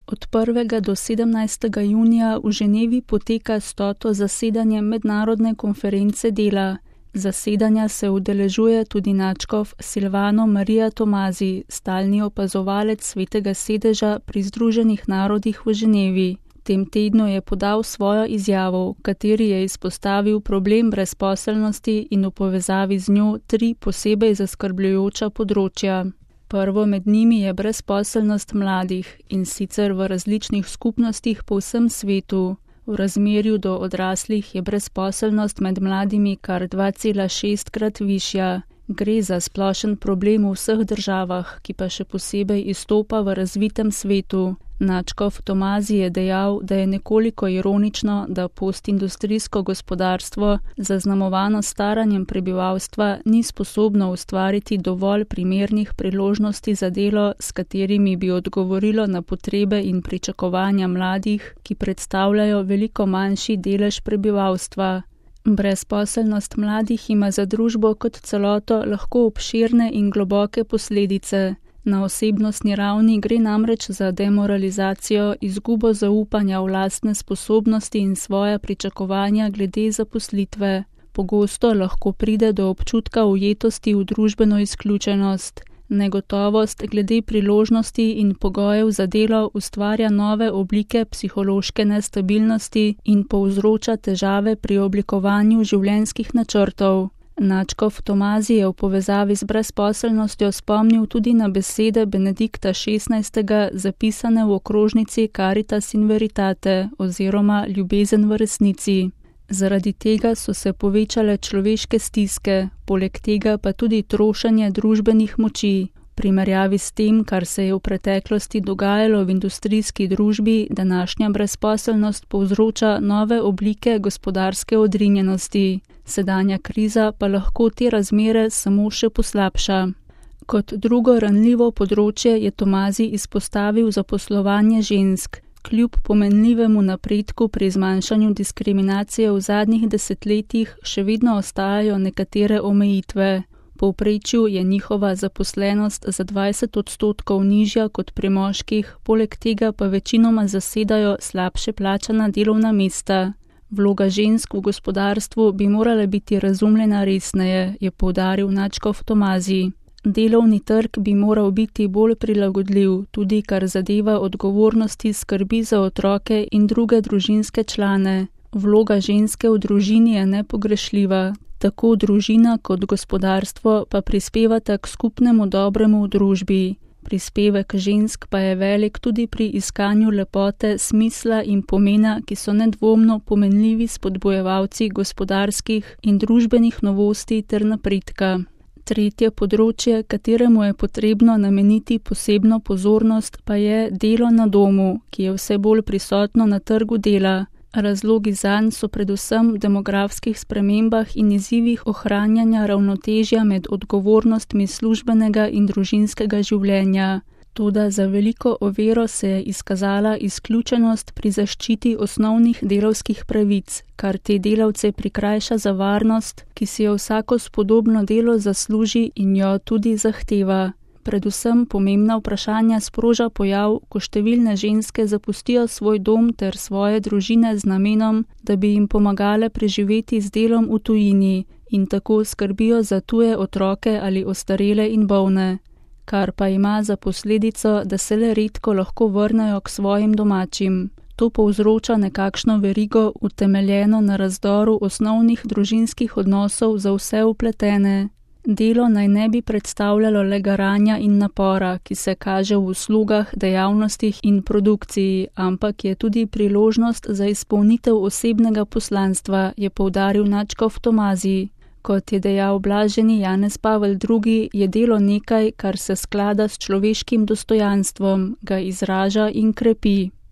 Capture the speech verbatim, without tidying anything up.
Od prvega do sedemnajstega junija v Ženevi poteka stoto zasedanje Mednarodne konference dela. Zasedanja se udeležuje tudi nadškof Silvano Marija Tomazi, stalni opazovalec Svetega sedeža pri Združenih narodih v Ženevi. V tem tednu je podal svojo izjavo, v kateri je izpostavil problem brezposelnosti in v povezavi z njo tri posebej zaskrbljujoča področja. Prvo med njimi je brezposelnost mladih, in sicer v različnih skupnostih po vsem svetu. V razmerju do odraslih je brezposelnost med mladimi kar dva cela šestkrat višja. Gre za splošen problem v vseh državah, ki pa še posebej izstopa v razvitem svetu. Nadškof Tomazi je dejal, da je nekoliko ironično, da postindustrijsko gospodarstvo, zaznamovano staranjem prebivalstva, ni sposobno ustvariti dovolj primernih priložnosti za delo, s katerimi bi odgovorilo na potrebe in pričakovanja mladih, ki predstavljajo veliko manjši delež prebivalstva. Brezposelnost mladih ima za družbo kot celoto lahko obširne in globoke posledice. Na osebnostni ravni gre namreč za demoralizacijo, izgubo zaupanja v lastne sposobnosti in svoja pričakovanja glede zaposlitve. Pogosto lahko pride do občutka ujetosti v družbeno izključenost. Negotovost glede priložnosti in pogojev za delo ustvarja nove oblike psihološke nestabilnosti in povzroča težave pri oblikovanju življenjskih načrtov. Nadškof Tomazi je v povezavi z brezposelnostjo spomnil tudi na besede Benedikta šestnajstega, zapisane v okrožnici Caritas in Veritate oziroma Ljubezen v resnici. Zaradi tega so se povečale človeške stiske, poleg tega pa tudi trošenje družbenih moči. V primerjavi s tem, kar se je v preteklosti dogajalo v industrijski družbi, današnja brezposelnost povzroča nove oblike gospodarske odrinjenosti. Sedanja kriza pa lahko te razmere samo še poslabša. Kot drugo ranljivo področje je Tomazi izpostavil zaposlovanje žensk. Kljub pomenljivemu napredku pri zmanjšanju diskriminacije v zadnjih desetletjih še vedno ostajajo nekatere omejitve. V povprečju je njihova zaposlenost za dvajset odstotkov nižja kot pri moških, poleg tega pa večinoma zasedajo slabše plačana delovna mesta. Vloga žensk v gospodarstvu bi morala biti razumljena resneje, je poudaril nadškof Tomazi. Delovni trg bi moral biti bolj prilagodljiv, tudi kar zadeva odgovornosti skrbi za otroke in druge družinske člane. Vloga ženske v družini je nepogrešljiva. Tako družina kot gospodarstvo pa prispevata k skupnemu dobremu v družbi. Prispevek žensk pa je velik tudi pri iskanju lepote, smisla in pomena, ki so nedvomno pomenljivi spodbujevalci gospodarskih in družbenih novosti ter napredka. Tretje področje, kateremu je potrebno nameniti posebno pozornost, pa je delo na domu, ki je vse bolj prisotno na trgu dela. Razlogi zanj so predvsem v demografskih spremembah in izzivih ohranjanja ravnotežja med odgovornostmi službenega in družinskega življenja. Toda za veliko oviro se je izkazala izključenost pri zaščiti osnovnih delavskih pravic, kar te delavce prikrajša za varnost, ki si jo vsako spodobno delo zasluži in jo tudi zahteva. Predvsem pomembna vprašanja sproža pojav, ko številne ženske zapustijo svoj dom ter svoje družine z namenom, da bi jim pomagale preživeti z delom v tujini in tako skrbijo za tuje otroke ali ostarele in bolne, kar pa ima za posledico, da se le redko lahko vrnejo k svojim domačim. To povzroča nekakšno verigo, utemeljeno na razdoru osnovnih družinskih odnosov za vse vpletene. Delo naj ne bi predstavljalo le garanja in napora, ki se kaže v uslugah, dejavnostih in produkciji, ampak je tudi priložnost za izpolnitev osebnega poslanstva, je poudaril nadškof Tomazi. Kot je dejal blaženi Janez Pavel drugi, je delo nekaj, kar se sklada s človeškim dostojanstvom, ga izraža in krepi.